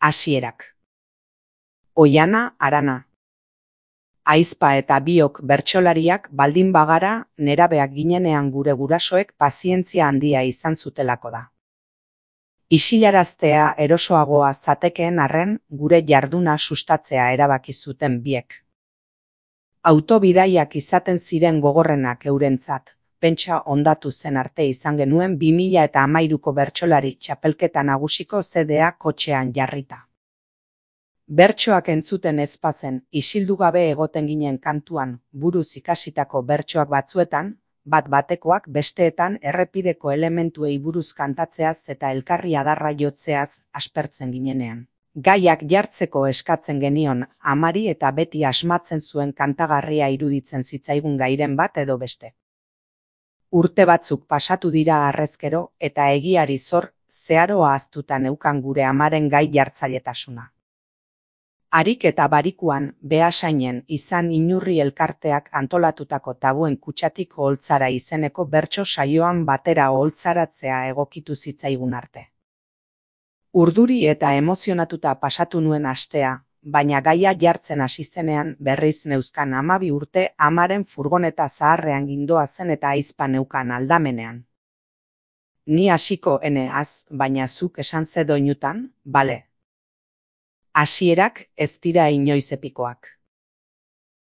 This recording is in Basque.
Hasierak. Oiana Arana. Aizpa eta biok bertsolariak baldin bagara nerabeak ginenean gure gurasoek pazientzia handia izan zutelako da. Isilaraztea erosoagoa zatekeen arren gure jarduna sustatzea erabaki zuten biek. Autobidaiak izaten ziren gogorrenak eurentzat, pentsa ondatu zen arte izan genuen 2013ko bertsolari txapelketa nagusiko zedea kotxean jarrita. Bertsoak entzuten ezpazen, isildu gabe egoten ginen kantuan, buruz ikasitako bertsoak batzuetan, bat-batekoak besteetan errepideko elementuei buruz kantatzeaz eta elkarri adarra jotzeaz aspertzen ginenean. Gaiak jartzeko eskatzen genion amari eta beti asmatzen zuen kantagarria iruditzen zitzaigun gairen bat edo beste. Urte batzuk pasatu dira harrezkero eta egiari zor zeharo ahaztuta neukan gure amaren gai jartzailetasuna. Harik eta barikuan Beasainen izan inurri elkarteak antolatutako tabuen kutxatik oholtzara izeneko bertso saioan batera oholtzaratzea egokitu zitzaigun arte. Urduri eta emozionatuta pasatu nuen astea, baina gaia jartzen hasi zenean berriz neuzkan 12 urte amaren furgoneta zaharrean gindoazen eta aizpa neukan aldamenean. Ni hasiko eneaz, baina zuk esan ze doinutan, bale. Hasierak ez dira inoiz epikoak.